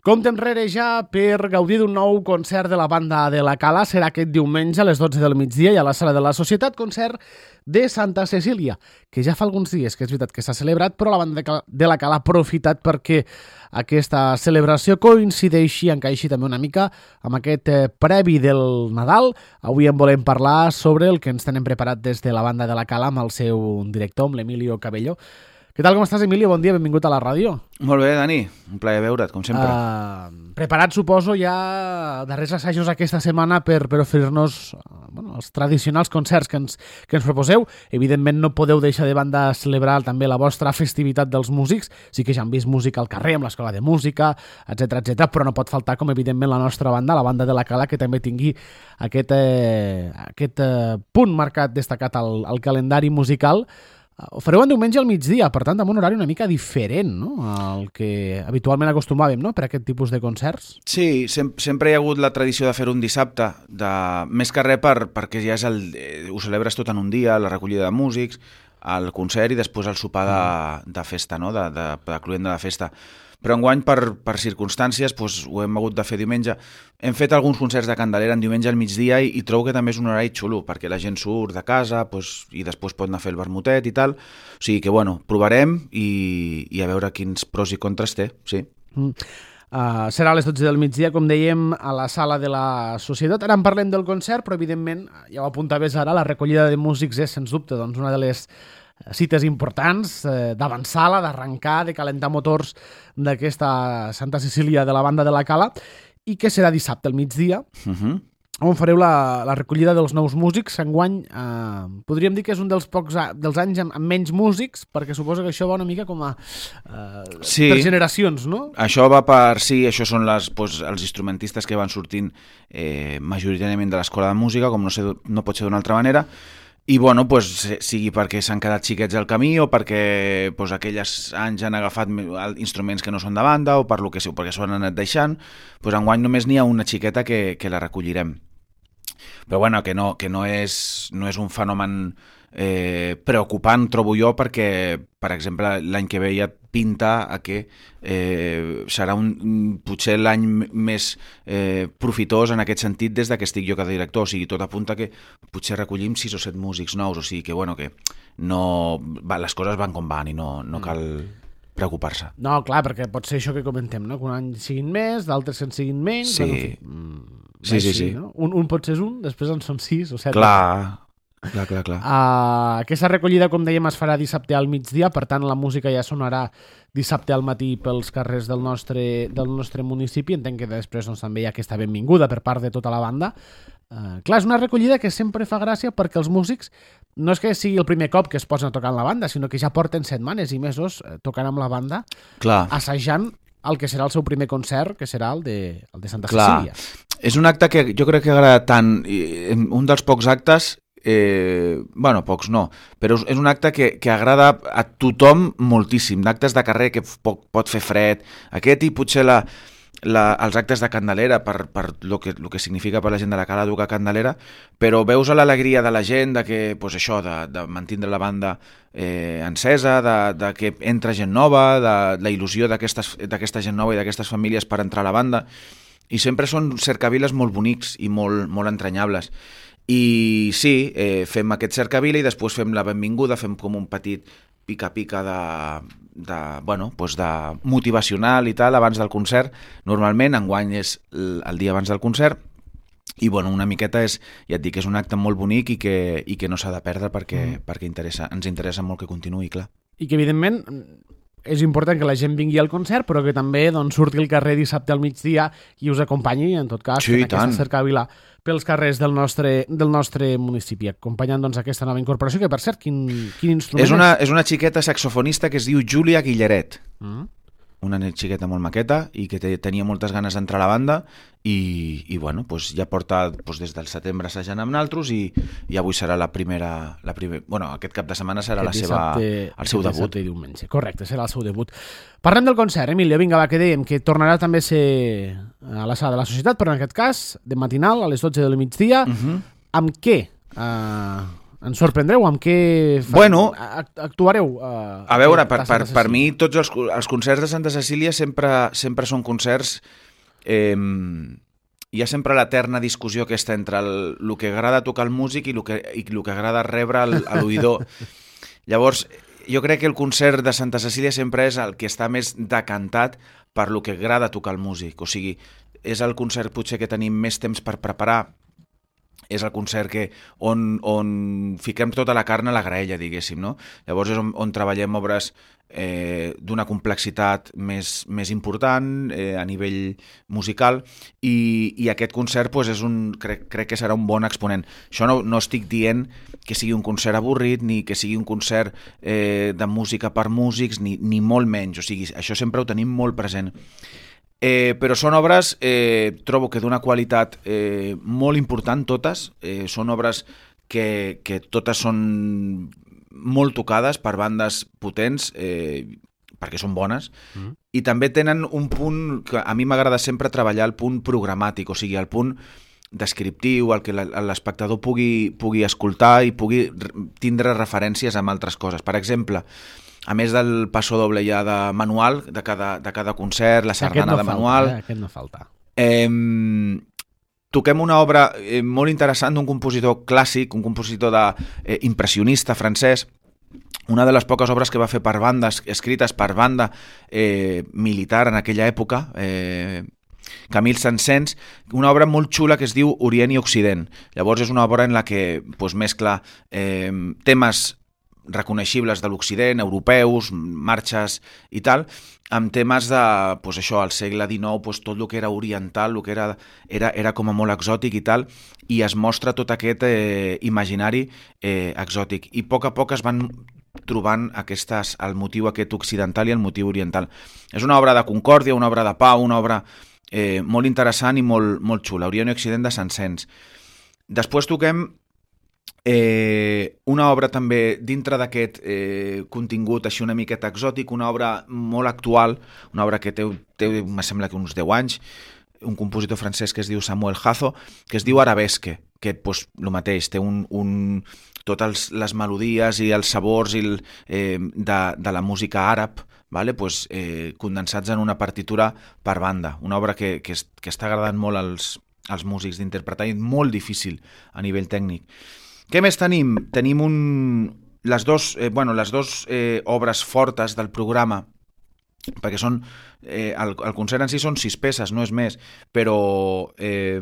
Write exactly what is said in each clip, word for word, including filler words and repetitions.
Compte enrere ja per gaudir d'un nou concert de la banda de la Cala. Serà aquest diumenge a les dotze del migdia i a la Sala de la Societat, concert de Santa Cecília, que ja fa alguns dies que és veritat que s'ha celebrat, però la banda de la Cala ha aprofitat perquè aquesta celebració coincideixi, encaixi també una mica amb aquest previ del Nadal. Avui en volem parlar sobre el que ens tenen preparat des de la banda de la Cala amb el seu director, amb l'Emilio Cabello. Què tal, com estàs, Emilio? Bon dia, benvingut a la ràdio. Molt bé, Dani. Un plaer veure't, com sempre. Uh, preparat, suposo, ja darrers assajos aquesta setmana per, per oferir-nos uh, bueno, els tradicionals concerts que ens, que ens proposeu. Evidentment, no podeu deixar de banda celebrar també la vostra festivitat dels músics. Sí que ja han vist música al carrer, amb l'Escola de Música, etcètera, etcètera, però no pot faltar, com evidentment, la nostra banda, la banda de la Cala, que també tingui aquest, eh, aquest eh, punt marcat, destacat al, al calendari musical. Ho fareu en diumenge al migdia, per tant, amb un horari una mica diferent, no?, al que habitualment acostumàvem, no?, per aquest tipus de concerts. Sí, sem sempre hi ha hagut la tradició de fer un dissabte, de... més que res per, perquè ja és el... Eh, ho celebres tot en un dia, la recollida de músics, el concert i després el sopar de, de festa, no?, de, de, de cluenda de festa. Però enguany, per, per circumstàncies, doncs, ho hem hagut de fer diumenge. Hem fet alguns concerts de Candelera en diumenge al migdia i, i trobo que també és un horari xulo, perquè la gent surt de casa doncs, i després pot anar a fer el vermutet i tal. O sigui que, bueno, provarem i, i a veure quins pros i contres té, sí. Mm. Uh, serà a les dotze del migdia, com dèiem, a la Sala de la Societat. Ara en parlem del concert, però evidentment, ja ho apuntaves ara, la recollida de músics és, sens dubte, doncs, una de les cites importants, eh, d'avançar-la, d'arrencar, de calentar motors d'aquesta Santa Cecília de la banda de la Cala, i que serà dissabte al migdia, Uh-huh. on fareu la, la recollida dels nous músics. Enguany, eh, podríem dir que és un dels pocs a, dels anys amb, amb menys músics, perquè suposo que això va una mica com a eh, Sí. per generacions, no? Això va per... Sí, això són les, doncs, els instrumentistes que van sortint eh, majoritàriament de l'escola de música, com no, sé, no pot ser d'una altra manera, i bueno, pues, sigui perquè s'han quedat xiquets al camí o perquè pues, aquells anys han agafat instruments que no són de banda o per lo que sé, perquè s'ho han anat deixant, pues, enguany només n'hi ha una xiqueta que, que la recollirem. Però bueno, que no, que no, és, no és un fenomen eh, preocupant, trobo jo, perquè, per exemple, l'any que ve ja pinta a que eh, serà un, potser l'any més eh, profitós en aquest sentit des que estic jo cada director. O sigui, tot apunta que potser recollim sis o set músics nous, o sigui que, bueno, que no, va, les coses van com van i no, no cal preocupar-se. No, clar, perquè pot ser això que comentem, no? Que un any siguin més, d'altres en siguin menys. Sí. Bueno, en fi, mm, Sí, sí, així, sí. no? Un, un pot ser un, després en són sis o set. Clar, clar, clar, clar. Uh, aquesta recollida, com dèiem, es farà dissabte al migdia, per tant la música ja sonarà dissabte al matí pels carrers del nostre, del nostre municipi. Entenc que després doncs, també hi ha aquesta benvinguda per part de tota la banda. Uh, clar, és una recollida que sempre fa gràcia perquè els músics no és que sigui el primer cop que es posen a tocar amb la banda, sinó que ja porten setmanes i mesos eh, tocant amb la banda, Clar. assajant el que serà el seu primer concert, que serà el de, el de Santa Clar. Cecília. És un acte que jo crec que agrada tant, i un dels pocs actes, eh, bueno, pocs no, però és un acte que, que agrada a tothom moltíssim, d'actes de carrer que pot, pot fer fred, aquest i potser la, la, els actes de Candelera per, per lo que, lo que significa per la gent de la Cala tocar Candelera, però veus l'alegria de la gent de que, pues això, de, de mantindre la banda eh, encesa, de, de que entra gent nova, de la il·lusió d'aquesta gent nova i d'aquestes famílies per entrar a la banda. I sempre són cercaviles molt bonics i molt, molt entranyables. I sí, eh, fem aquest cercavila i després fem la benvinguda, fem com un petit pica-pica de, de, bueno, doncs de motivacional i tal abans del concert. Normalment, enguany és el, el dia abans del concert. I bueno, una miqueta és, ja et dic, és un acte molt bonic i que, i que no s'ha de perdre perquè, mm. perquè interessa, ens interessa molt que continuï, clar. I que, evidentment, és important que la gent vingui al concert, però que també doncs, surti al carrer dissabte al migdia i us acompanyi, en tot cas, sí, en aquesta cercavila pels carrers del nostre, del nostre municipi, acompanyant doncs, aquesta nova incorporació, que per cert, quin, quin instrument és? Una, és una xiqueta saxofonista que es diu Júlia Guilleret. Mm. Una xiqueta molt maqueta i que tenia moltes ganes d'entrar a la banda i, i bueno, doncs ja porta doncs des del setembre assajant amb naltros i, i avui serà la primera, la primer, bueno, aquest cap de setmana serà la seva, el seu debut. Diumenge. Correcte, serà el seu debut. Parlem del concert, Emilio, vinga, va, que dèiem que tornarà també a ser a la Sala de la Societat, però en aquest cas de matinal a les dotze del migdia. Uh-huh. Amb què? Uh, Ens sorprendreu amb què fa... Bueno, actuareu? Uh, a veure, per, per, per mi tots els, els concerts de Santa Cecília sempre, sempre són concerts... Eh, hi ha sempre l'eterna discussió aquesta entre el, el que agrada tocar el músic i el que, i el que agrada rebre el, a l'oïdor. Llavors, jo crec que el concert de Santa Cecília sempre és el que està més decantat per lo que agrada tocar el músic. O sigui, és el concert potser que tenim més temps per preparar, és el concert que, on, on fiquem tota la carn a la graella, diguéssim, no? Llavors és on, on treballem obres eh, d'una complexitat més, més important eh, a nivell musical i, i aquest concert pues, és un, crec, crec que serà un bon exponent. Això no, no estic dient que sigui un concert avorrit ni que sigui un concert eh, de música per músics, ni, ni molt menys. O sigui, això sempre ho tenim molt present. Eh, però són obres, eh, trobo que d'una qualitat eh, molt important totes, eh, són obres que, que totes són molt tocades per bandes potents, eh, perquè són bones, mm. i també tenen un punt que a mi m'agrada sempre treballar, el punt programàtic, o sigui, el punt descriptiu, el que l'espectador pugui, pugui escoltar i pugui tindre referències amb altres coses. Per exemple, a més del passo doble ja de manual, de cada, de cada concert, la sardana no de falta, manual... Eh? Aquest no falta. Eh, toquem una obra eh, molt interessant d'un compositor clàssic, un compositor de, eh, impressionista francès, una de les poques obres que va fer per bandes, escrites per banda eh, militar en aquella època, eh, Camille Saint-Saëns, una obra molt xula que es diu Orient i Occident. Llavors és una obra en la que pues, mescla eh, temes reconeixibles de l'Occident, europeus, marxes i tal, amb temes de, pues això, al segle dinou, pues tot el que era oriental, el que era, era, era com a molt exòtic i tal, i es mostra tot aquest eh, imaginari eh, exòtic. I a poc a poc es van trobant aquestes, el motiu aquest occidental i el motiu oriental. És una obra de concòrdia, una obra de pau, una obra eh, molt interessant i molt, molt xula, Orient i Occident de Saint-Saëns. Després toquem Eh, una obra també dintre d'aquest eh, contingut així una miqueta exòtic, una obra molt actual, una obra que té, té me sembla que uns deu anys, un compositor francès que es diu Samuel Hazo, que es diu Arabesque, que pues, el mateix, té un, un, totes les melodies i els sabors i el, eh, de, de la música àrab, vale? Pues, eh, condensats en una partitura per banda, una obra que, que, es, que està agradant molt als, als músics d'interpretar i molt difícil a nivell tècnic. Què més tenim? Tenim un, les dos, eh, bueno, les dos eh, obres fortes del programa, perquè són, eh, el, el concert en si són sis peces, no és més, però eh,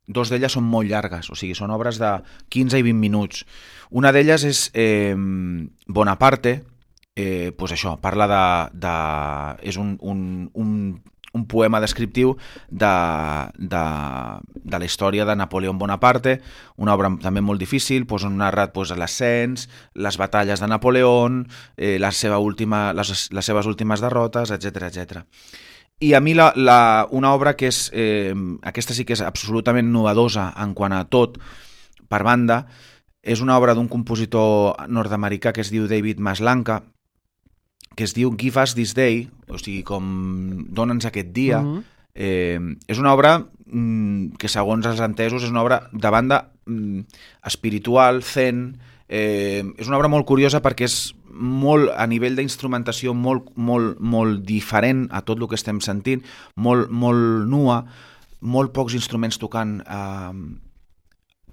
dos d'elles són molt llargues, o sigui, són obres de quinze i vint minuts. Una d'elles és eh, Bonaparte, eh, pues això, parla de... de és un... un, un un poema descriptiu de, de, de la història de Napoleó Bonaparte, una obra també molt difícil, doncs, on narra doncs, l'ascens, les batalles de Napoleó, eh, la seva última, les, les seves últimes derrotes, etcètera etcètera. I a mi la, la, una obra que és, eh, aquesta sí que és absolutament novedosa en quant a tot, per banda, és una obra d'un compositor nord-americà que es diu David Maslanka, que es diu Give Us This Day, o sigui, com dona'ns aquest dia. Uh-huh. eh, és una obra mm, que, segons els entesos, és una obra de banda mm, espiritual, zen. Eh, és una obra molt curiosa perquè és molt, a nivell d'instrumentació, molt, molt, molt diferent a tot el que estem sentint, molt, molt nua, molt pocs instruments tocant eh,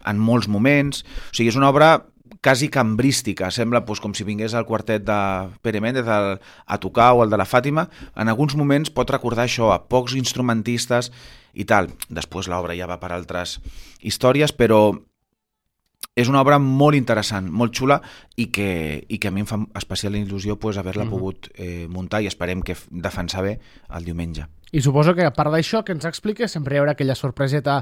en molts moments. O sigui, és una obra quasi cambrística, sembla doncs, com si vingués el quartet de Pere Méndez a, a tocar o el de la Fàtima. En alguns moments pot recordar això, a pocs instrumentistes i tal. Després l'obra ja va per altres històries, però és una obra molt interessant, molt xula i que, i que a mi em fa especial il·lusió pues, haver-la mm-hmm. pogut eh, muntar i esperem que defensar bé el diumenge. I suposo que a part d'això que ens expliques sempre hi haurà aquella sorpreseta,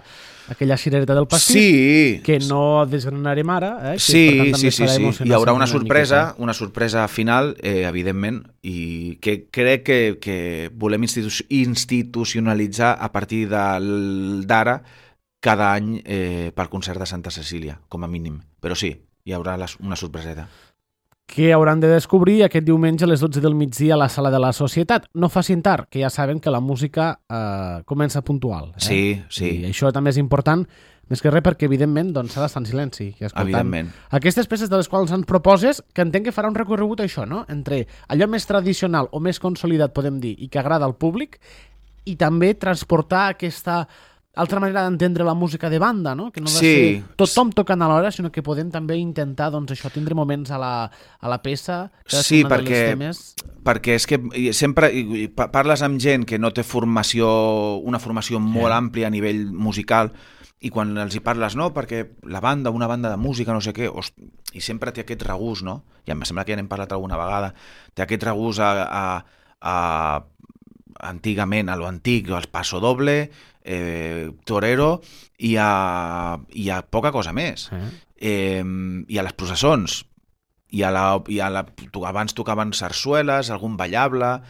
aquella cirereta del pastís, sí. que no desgranarem ara. Eh? Que, sí, per tant, sí, sí, sí. Hi haurà una sorpresa, una, una sorpresa final, eh, evidentment, i que crec que, que volem institu institucionalitzar a partir d'ara cada any eh, pel concert de Santa Cecília, com a mínim. Però sí, hi haurà la, una sorpreseta. Que hauran de descobrir aquest diumenge a les dotze del migdia a la Sala de la Societat. No facin tard, que ja saben que la música eh, comença puntual. Eh? Sí, sí. I això també és important Més que res perquè, evidentment, doncs, s'ha d'estar en silenci i escoltant Evidentment. aquestes peces de les quals ens proposes, que entenc que farà un recorregut això, no? Entre allò més tradicional o més consolidat, podem dir, i que agrada al públic, i també transportar aquesta altra manera d'entendre la música de banda, no? Que no ha de Sí. ser tothom tocant alhora, sinó que podem també intentar, doncs, això, tindre moments a la, a la peça. Sí, cadascuna de perquè, les temes. perquè és que sempre i- i pa- parles amb gent que no té formació, una formació molt àmplia a nivell musical, i quan els hi parles, no, perquè la banda, una banda de música, no sé què, host, i sempre té aquest regús, no? I em sembla que ja n'hem parlat alguna vegada, té aquest regús a, a, a antigament, a lo antic, al paso doble, eh, torero, i a, i a poca cosa més. Eh? Eh, I a les processons, i, a la, i a la, to- abans tocaven sarsueles, algun ballable,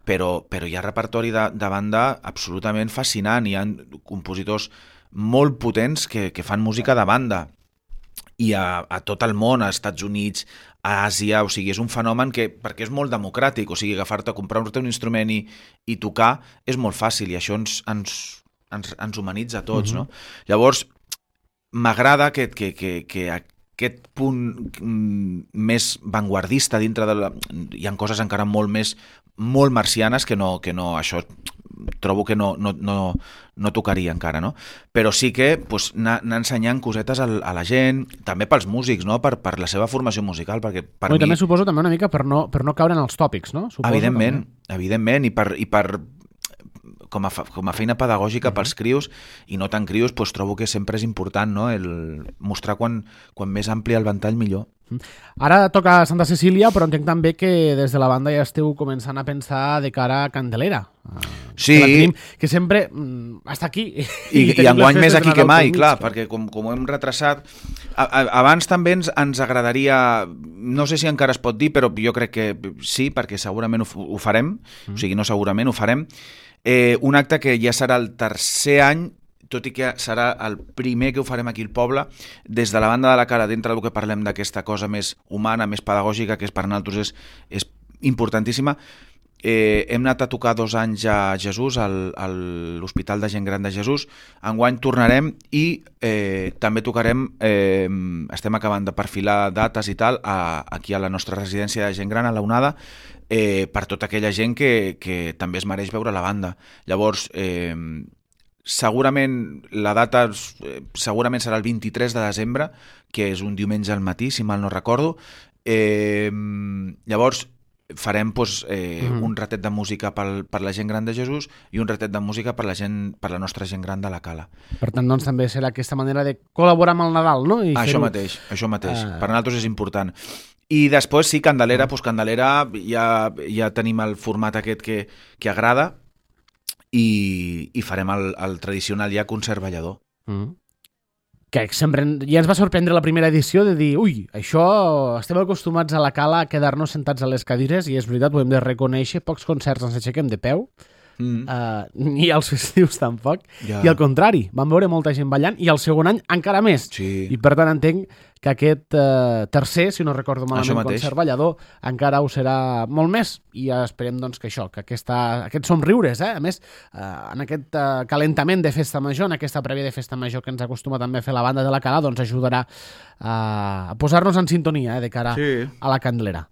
però, però hi ha repertori de, de banda absolutament fascinant, hi ha compositors molt potents que, que fan música de banda, i a, a tot el món, als Estats Units, a Àsia, o sigui, és un fenomen que, perquè és molt democràtic, o sigui, agafar-te, comprar-te un instrument i, i tocar és molt fàcil, i això ens, ens, ens, ens humanitza a tots, Mhm. no? Llavors, m'agrada que, que, que, que aquest punt mm, més vanguardista dintre de la... Hi ha coses encara molt més, molt marcianes que no, que no això trobo que no, no, no, no tocaria encara, no? Però sí que pues, anar, anar ensenyant cosetes a, a la gent, també pels músics, no? Per, per la seva formació musical, perquè per No, I mi... també suposo també una mica per no, per no caure en els tòpics, no? Suposo, Evidentment, també. evidentment, i per, i per com a, fa- com a feina pedagògica pels crios, i no tan crios, doncs trobo que sempre és important, no? El mostrar quan, quan més ampli el ventall, millor. Ara toca Santa Cecília, però entenc també que des de la banda ja esteu començant a pensar de cara a Candelera. Ah, Sí. Que la tenim, que sempre mm, està aquí. I, i tenim enguany les més festes de aquí que Nadal mai, pel mig. clar, perquè com, com ho hem retrasat... A, a, abans també ens, ens agradaria, no sé si encara es pot dir, però jo crec que sí, perquè segurament ho, f- ho farem, mm. o sigui, no segurament, ho farem, eh, un acte que ja serà el tercer any, tot i que serà el primer que ho farem aquí al poble, des de la banda de la cara, dintre del que parlem d'aquesta cosa més humana, més pedagògica, que és per nosaltres és, és importantíssima. Eh, hem anat a tocar dos anys a Jesús, al, a l'Hospital de Gent Gran de Jesús. Enguany tornarem i eh, també tocarem, eh, estem acabant de perfilar dates i tal, a, aquí a la nostra residència de Gent Gran, a la Onada, eh, per tota aquella gent que, que també es mereix veure la banda. Llavors, eh, segurament la data eh, segurament serà el vint-i-tres de desembre, que és un diumenge al matí, si mal no recordo. Eh, llavors, farem doncs, eh, Mhm. un ratet de música pel, per la gent gran de Jesús i un ratet de música per la gent per la nostra gent gran de la Cala. Per tant, doncs, també serà aquesta manera de col·laborar amb el Nadal, no? I Això fer-ho- mateix, això mateix. Ah. Per nosaltres és important. I després, sí, Candelera, doncs Candelera ja, ja tenim el format aquest que, que agrada i, i farem el, el tradicional ja concert ballador. Mm. Que sempre en- ja ens va sorprendre la primera edició de dir, ui, això estem acostumats a la Cala a quedar-nos sentats a les cadires i és veritat, ho hem de reconèixer, pocs concerts ens aixequem de peu, Mm. uh, ni als festius tampoc, Ja. i al contrari, vam veure molta gent ballant i el segon any encara més. Sí. I per tant entenc que aquest uh, tercer, si no recordo Això malament, mateix. concert ballador encara ho serà molt més i esperem doncs, que això, que aquesta, aquests somriures, eh? A més, uh, en aquest uh, calentament de festa major, en aquesta prèvia de festa major que ens acostuma també a fer la banda de la Cala, doncs ajudarà uh, a posar-nos en sintonia eh, de cara Sí. a la Candelera.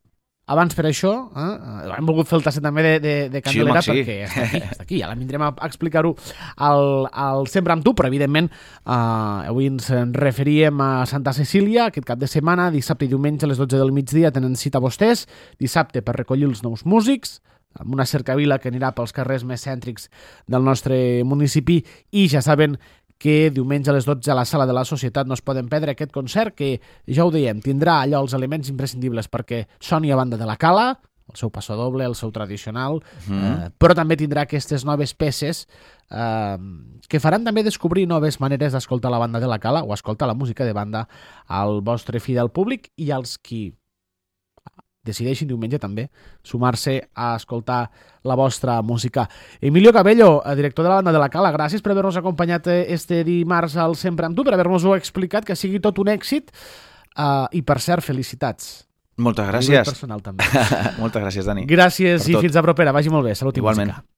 Abans per això, eh, hem volgut fer el tasset també de, de, de Candelera Sí, home, sí. perquè està aquí, està aquí, ara vindrem a explicar-ho al, al Sempre amb tu, però evidentment eh, avui ens en referíem a Santa Cecília, aquest cap de setmana, dissabte i diumenge a les dotze del migdia tenen cita vostès, dissabte per recollir els nous músics, amb una cercavila que anirà pels carrers més cèntrics del nostre municipi i ja saben que diumenge a les dotze a la Sala de la Societat no es poden perdre aquest concert que, ja ho dèiem, tindrà allò els elements imprescindibles perquè soni a banda de la Cala, el seu passadoble, el seu tradicional, Mm. eh, però també tindrà aquestes noves peces eh, que faran també descobrir noves maneres d'escoltar la banda de la Cala o escoltar la música de banda al vostre fidel públic i als qui decideixin diumenge també sumar-se a escoltar la vostra música. Emilio Cabello, director de la banda de la Cala, gràcies per haver-nos acompanyat este dimarts al Sempre amb tu, per haver-nos-ho explicat, que sigui tot un èxit uh, i, per cert, felicitats. Moltes A nivell gràcies. personal també. Moltes gràcies, Dani. Gràcies Per i tot. fins a propera. Vagi molt bé. Salut i Igualment. música.